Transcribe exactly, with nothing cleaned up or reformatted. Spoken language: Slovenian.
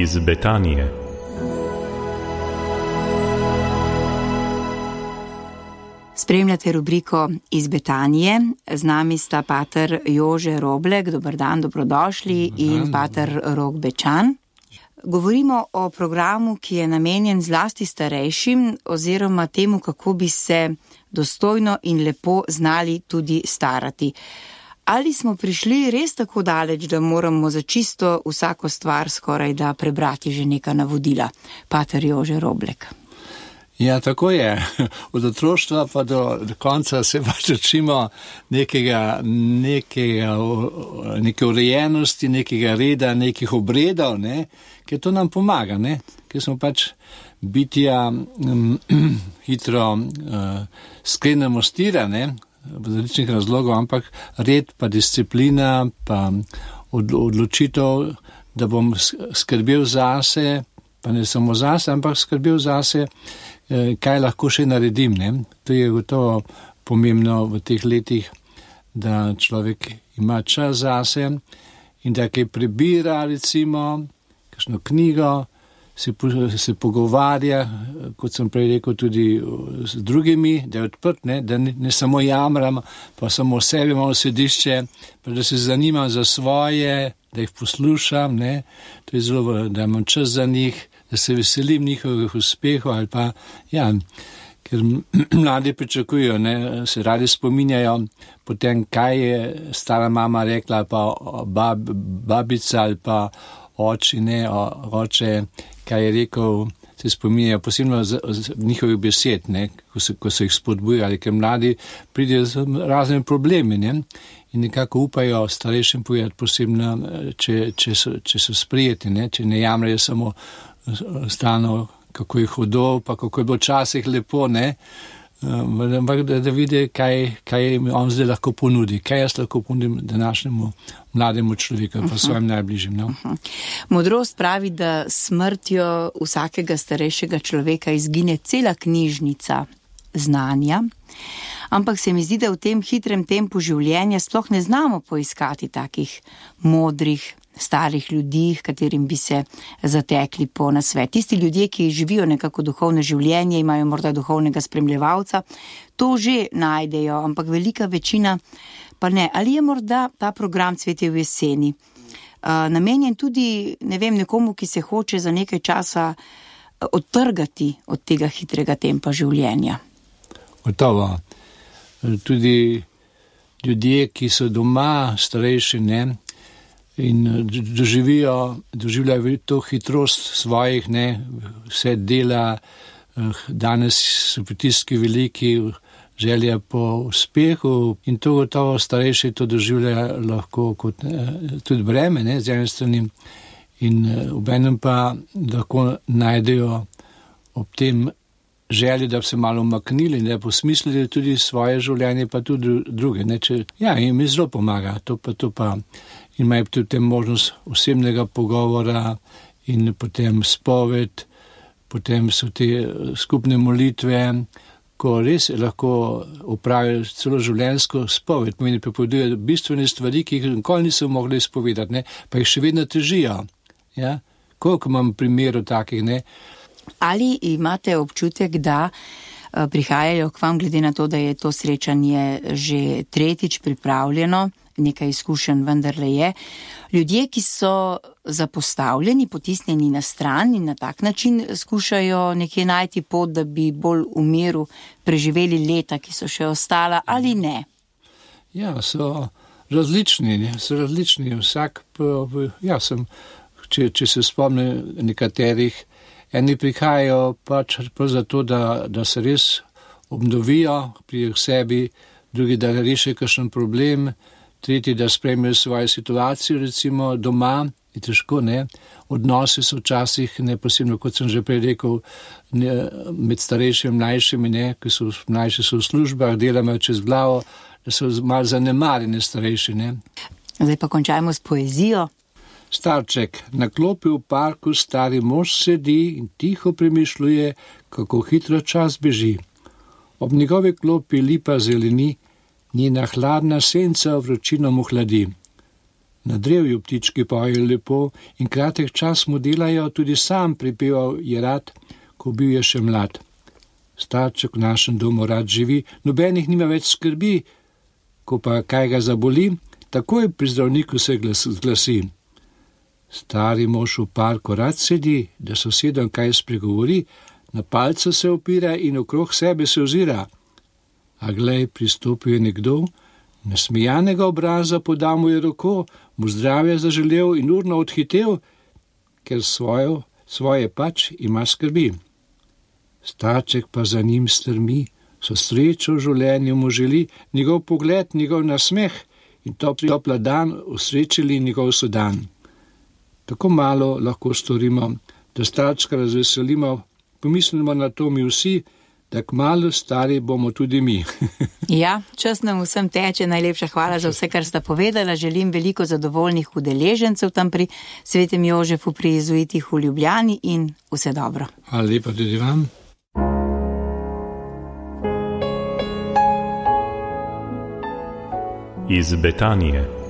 iz Betanije. Spremljate rubriko Iz Betanije. Z nami sta pater Jože Roblek, dober dan, dobrodošli, in pater Rok Bečan. Govorimo o programu, ki je namenjen zlasti starejšim oziroma temu, kako bi se dostojno in lepo znali tudi starati. Ali smo prišli res tako daleč, da moramo za čisto vsako stvar skoraj da prebrati že neka navodila? Pater Jože Roblek. Ja, tako je. Od otroštva pa do, do konca se pač učimo nekega, nekega, neke urejenosti, nekega reda, nekih obredov, ne, ker to nam pomaga, ne, ker smo pač bitja um, hitro uh, sklenemo stira, ne, v različnih razlogov, ampak red pa disciplina, pa od, odločitev, da bom skrbel zase, pa ne samo zase, ampak skrbel zase, kaj lahko še naredim, ne? To je gotovo pomembno v teh letih, da človek ima čas zase in da kaj prebira, recimo, kakšno knjigo, se, se pogovarja, kot sem prej rekel, tudi z drugimi, da je odprt, ne? Da ne, ne samo jamram, pa samo sebi imam sedišče, pa da se zanimam za svoje, da jih poslušam, ne? To je zelo, da imam čas za njih, da se veselim njihovih uspehov ali pa, ja, ker mladi pričakujejo, ne, se radi spominjajo potem, kaj je stara mama rekla, ali pa bab, babica ali pa oči, ne, oče, kaj je rekel, se spominjajo posebno z, z njihovih besed, ne, ko, se, ko so jih spodbujali, ker mladi pridejo z raznimi problemi, ne, in nekako upajo starejšim povedati posebno, če, če, so, če so sprijeti, ne, če ne jamrejo samo stano, kako je hudo, pa kako je bilo časih lepo, ne, ampak da, da vidi, kaj, kaj on zdaj lahko ponudi, kaj jaz lahko ponudim današnjemu mlademu človeku, pa svojim najbližjim. No? Modrost pravi, da smrtjo vsakega starejšega človeka izgine cela knjižnica znanja, ampak se mi zdi, da v tem hitrem tempu življenja sploh ne znamo poiskati takih modrih, starih ljudi, katerim bi se zatekli po nasvet. Tisti ljudje, ki živijo nekako duhovno življenje, imajo morda duhovnega spremljevalca, to že najdejo, ampak velika večina pa ne. Ali je morda ta program Cvetje v jeseni uh, namenjen tudi, ne vem, nekomu, ki se hoče za nekaj časa odtrgati od tega hitrega tempa življenja? Gotovo. Tudi ljudje, ki so doma, starejši, ne, in doživijo, doživljajo to hitrost svojih, ne, vse dela, danes so pritiski veliki, želja po uspehu in to gotovo starejši to doživljajo lahko kot tudi breme, ne, z ene strani, in obenem pa lahko najdejo ob tem želji, da bi se malo umaknili, da bi posmislili tudi svoje življenje, pa tudi druge. Ne, če, ja, in mi zelo pomaga, to pa, to pa. In imajo tudi možnost osebnega pogovora in potem spoved, potem so te skupne molitve, ko res lahko opravijo celo življenjsko spoved, pomeni pripovedujejo bistvene stvari, ki jih nikoli niso mogli izpovedati, ne, pa jih še vedno težijo. Ja? Koliko imam primerov takih, ne? Ali imate občutek, da prihajajo k vam, glede na to, da je to srečanje že tretjič pripravljeno, nekaj izkušenj vendarle je, ljudje, ki so zapostavljeni, potisnjeni na stran in na tak način skušajo nekje najti pot, da bi bolj v miru preživeli leta, ki so še ostala, ali ne? Ja, so različni, so različni. Vsak, ja, sem, če, če se spomnim nekaterih, eni prihajajo pač zato, da, da se res obnovijo pri sebi, drugi, da rešijo kakšen problem, tretji, da spremljajo svojo situacijo, recimo doma, je težko, ne. Odnosi so včasih, ne, posebno, kot sem že prej rekel, ne, med starejšimi in mlajšimi, ne, ki so mlajši so v službah, delajo čez glavo, da so malo zanemarjeni starejši, ne. Zdaj pa končajmo s poezijo. Starček, na klopi v parku stari mož sedi in tiho premišljuje, kako hitro čas beži. Ob njegovi klopi lipa zeleni, njena hladna senca vročino mu hladi. Na drevju ptički pojejo lepo in kratek čas mu delajo, tudi sam pripeval je rad, ko bil je še mlad. Starček v našem domu rad živi, nobenih nima več skrbi, ko pa kaj ga zaboli, takoj pri zdravniku se zglasi. Stari mož v parku rad sedi, da sosedom kaj spregovori, na palce se opira in okrog sebe se ozira. A glej, pristopil je nekdo, nasmejanega obraza podal mu je roko, mu zdravje zaželel in urno odhitel, ker svojo, svoje pač ima skrbi. Starček pa za njim strmi, so srečo v življenju mu želi, njegov pogled, njegov nasmeh in topla dan usrečili njegov sodan. Tako malo lahko storimo, da starčka razveselimo, pomislimo na to mi vsi, da kmalu stari bomo tudi mi. Ja, čas nam vsem teče, najlepša hvala za vse, kar sta povedala. Želim veliko zadovoljnih udeležencev tam pri Svetem Jožefu, pri jezuitih v Ljubljani in vse dobro. Hvala lepa tudi vam. Iz Betanije.